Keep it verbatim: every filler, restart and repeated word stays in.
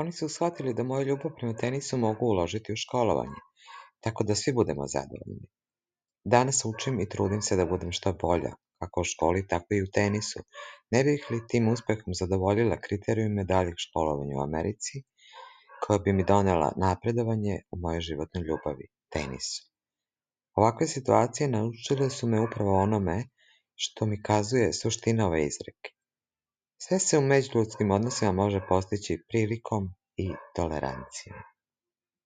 Oni su shvatili da moju ljubav prema tenisu mogu uložiti u školovanje, tako da svi budemo zadovoljni. Danas učim i trudim se da budem što bolja, kako u školi, tako i u tenisu. Ne bih li tim uspehom zadovoljila kriterijume daljeg školovanja u Americi, koja bi mi donela napredovanje u mojoj životnoj ljubavi, tenisu. Ovakve situacije naučile su me upravo onome što mi kazuje suština ove izreke. Sve se u međuljudskim odnosima može postići prilikom i tolerancijom.